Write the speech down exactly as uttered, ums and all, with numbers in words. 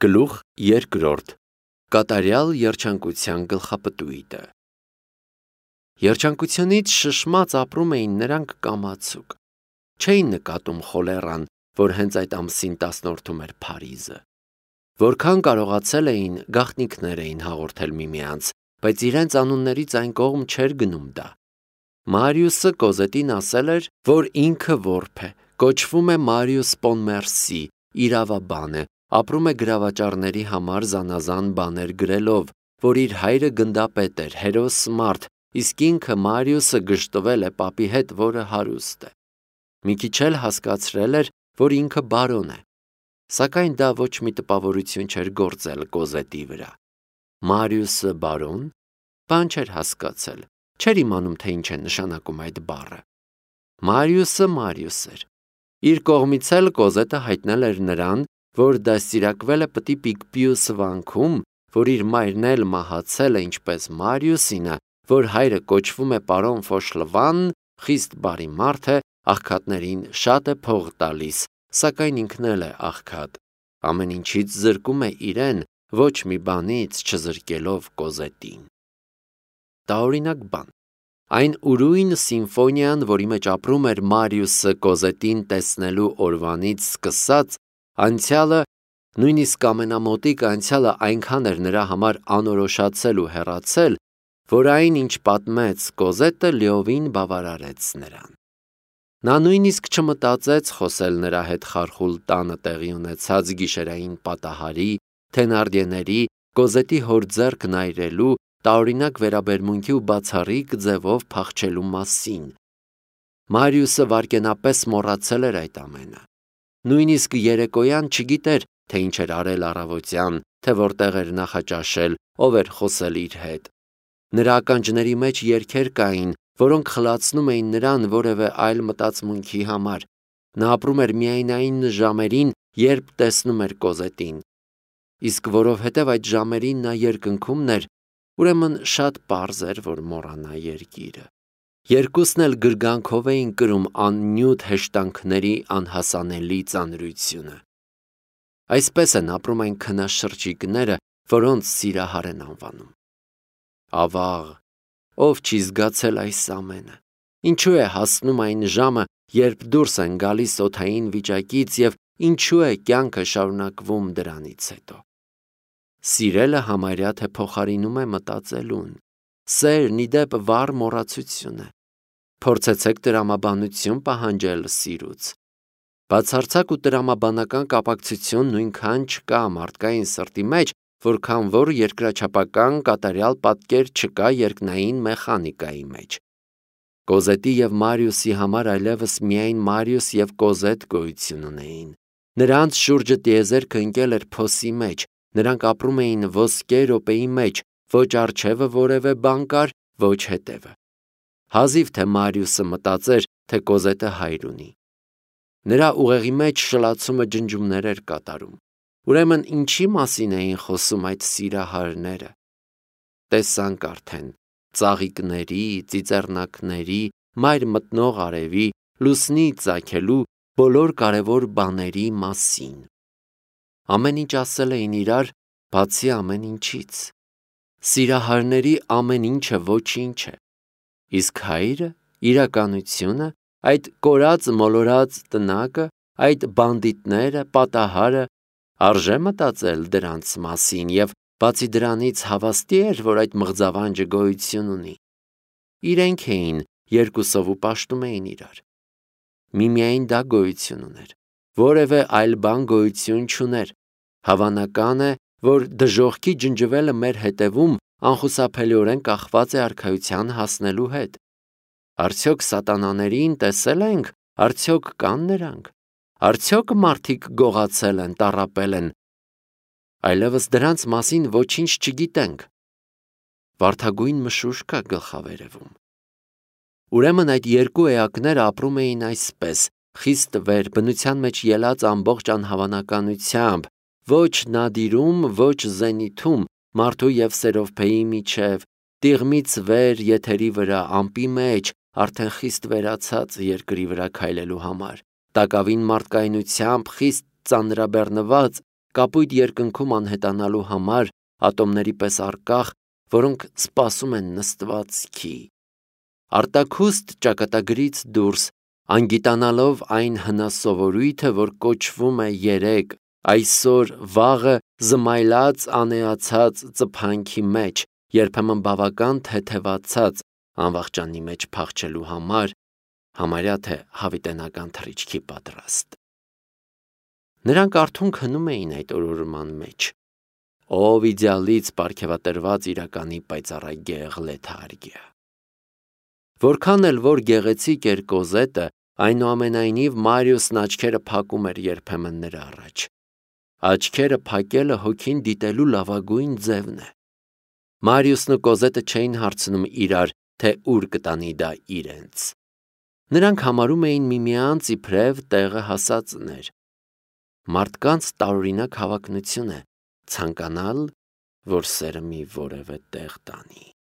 Գլուխ երկրորդ. Կատարյալ երջանկության գլխապտույտը։ Երջանկությունից շշմած ապրում էին նրանք կամացուկ։ Չէին նկատում խոլեռան, որ հենց այդ ամսին տասնորդում էր Փարիզը։ Որքան կարողացել էին, գաղտնիքներ էին հաղորդել միմյանց, բայց իրենց անուններից այն կողմ չէր գնում դա։ Մարիուսը Կոզետին ասել էր, որ ինքը որբ է, կոչվում է Մարիուս Պոնմերսի, իրավաբան է, ապրում է գրավաճառների համար զանազան բաներ գրելով, որ իր հայրը գնդապետ էր, հերոս մարդ, իսկ ինքը Մարիուսը գժտվել է պապի հետ, որը հարուստ է։ Մի քիչ էլ հասկացրել էր, որ ինքը բարոն է, սակայն դա ոչ մի տպավորություն չէր գործել Կոզետի վրա։ Մարիուսը բարոն, բան չէր հասկացել, չէր իմանում, թե ինչ է նշանակում այդ բառը։ Մարիուսը Մարիուս էր։ Իր կողմից էլ Կոզետը հայտնել էր նրան, որ դաստիարակվել է պտի Պիկպիուս վանքում, որ իր մայրն էլ մահացել է ինչպես Մարիուսինը, որ հայրը կոչվում է պարոն Ֆոշլվան, խիստ բարի մարդ է, աղքատներին շատ է փող տալիս, սակայն ինքն էլ է աղքատ, ամեն ինչից զրկում է իրեն, ոչ մի բանից չզրկելով Կոզետին։ Տարօրինակ բան։ Այն ուրույն սիմֆոնիան, որի մեջ ապրում էր Մարիուսը Կոզետին տեսնելու օրվանից սկսած, անցյալը, նույնիսկ ամենամոտիկ անցյալը այնքան էր նրա համար անորոշացել ու հեռացել, որ այն, ինչ պատմեց Կոզետը, լիովին բավարարեց նրան։ Նա նույնիսկ չմտածեց խոսել նրա հետ խարխուլ տանը տեղի ունեցած գիշերային պատահարի, Թենարդիեների, Կոզետի հոր ձեռքն այրելու, տարօրինակ վերաբերմունքի ու բացառիկ ձևով փախչելու մասին։ Մարիուսը վայրկենապես մոռացել էր այդ ամենը։ Նույնիսկ երեկոյան չգիտեր, թե ինչ էր արել առավոտյան, թե որտեղ էր նախաճաշել, ով էր խոսել իր հետ։ Նրա ականջների մեջ երգեր կային, որոնք խլացնում էին նրան որևէ այլ մտածմունքի համար։ Նա ապրում էր միայն այն ժամերին, երբ տեսնում էր Կոզետին։ Իսկ որովհետև այդ ժամերին նա երկնքումն էր, ուրեմն շատ պարզ էր, որ մոռանա երկիրը։ Երկուսն էլ գրգանքով էին կրում աննյութ հեշտանքների անհասանելի ծանրությունը։ Այսպես են ապրում այն քնաշրջիկները, որոնց սիրահար են անվանում։ Ավաղ, ով չի զգացել այս ամենը։ Ինչու է հասնում այն ժամը, երբ դուրս են գալիս օդային վիճակից և ինչու է կյանքը շարունակվում դրանից հետո։ Սիրելը համարյա թե փոխարինում է մտածելուն։ Սերն ի դեպ վառ մոռացություն է։ Փորձեցեք տրամաբանություն պահանջել սիրուց։ Բացարձակ ու տրամաբանական կապակցություն նույնքան չկա մարդկային սրտի մեջ, որքան որ երկրաչափական կատարյալ պատկեր չկա երկնային մեխանիկայի մեջ։ Կոզետի և Մարիուսի համար այլևս միայն Մարիուս և Կոզետ գոյություն ունեին։ Նրանց շուրջը տիեզերքը ընկել էր փոսի մեջ, նրանք ապրում էին ոսկե րոպեի մեջ, ոչ առջևը որևէ բան կար, ոչ հետևը։ Հազիվ թե Մարիուսը մտածեր, թե Կոզետը հայր ունի։ Նրա ուղեղի մեջ շլացումը ջնջումներ էր կատարում։ Ուրեմն ինչի մասին էին խոսում այդ սիրահարները։ Տեսանք արդեն ծաղիկների, ծիծեռնակների, մայր մտնող արևի, լուսնի ծագելու բոլոր կարևոր բաների մասին։ Ամեն ինչ ասել էին իրար, բացի ամեն ինչից։ Սիրահարների ամեն ինչը ոչինչ է։ Իսկ հայրը, իրականությունը, այդ կորած մոլորած տնակը, այդ բանդիտները, պատահարը, արժե մտածել դրանց մասին և բացի դրանից հավաստի էր, որ այդ մղձավանջը գոյություն ունի։ Իրենք էին, երկուսով ու պաշտում էին իրար։ Միմիայն դա գոյություն ուներ։ Որևէ այլ բան գոյություն չուներ։ Հավանական է, որ դժոխքի ջնջվելը մեր հետևում անխուսափելիորեն կախված է արքայության հասնելու հետ։ Արդյոք սատանաներին տեսել ենք, արդյոք կան նրանք, արդյոք մարդիկ գողացել են, տառապել են, այլևս դրանց մասին ոչինչ չգիտենք։ Վարդագույն մշուշ կա գլխավերևում։ Ուրեմն այդ երկու էակները ապրում էին այսպես, խիստ վեր, բնության մեջ ելած ամբողջ անհավանականությամբ, ոչ նադիրում, ոչ զենիթում, մարդու և Սերովփեի միջև, տիղմից վեր եթերի վրա, ամպի մեջ, արդեն խիստ վերացած երկրի վրա քայլելու համար, տակավին մարդկայնությամբ խիստ ծանրաբեռնված, կապույտ երկնքում անհետանալու համար ատոմների պես առկախ, որոնք սպասում են նստվածքի։ Արտաքուստ ճակատագրից դուրս, անգիտանալով այն հնասովորույթը, որ կոչվում է երեք, այսօր վաղը զմայլած անեացած ծփանքի մեջ, երբեմն բավական թեթևացած անվախճանի մեջ փախչելու համար, համարյա թե հավիտենական թռիչքի պատրաստ։ Նրանք արթուն քնում էին այդ օրորման մեջ, ով իդեալից պարգևատրված իրականի պայծառագեղ լեթարգիա։ Որքան էլ որ գեղեցիկ էր Կոզետը, այնուամենայնիվ Մարիուսն աչքերը փակում էր երբեմն նրա առաջ։ Աչքերը փակելը հոգին դիտելու լավագույն ձևն է։ Մարիուսն ու Կոզետը չէին հարցնում իրար, թե ուր կտանի դա իրենց։ Նրանք համարում էին միմյանց իբրև տեղը հասածներ։ Մարդկանց տարօրինակ հավակնություն է ցանկանալ, որ սերը մի որևէ տեղ տանի։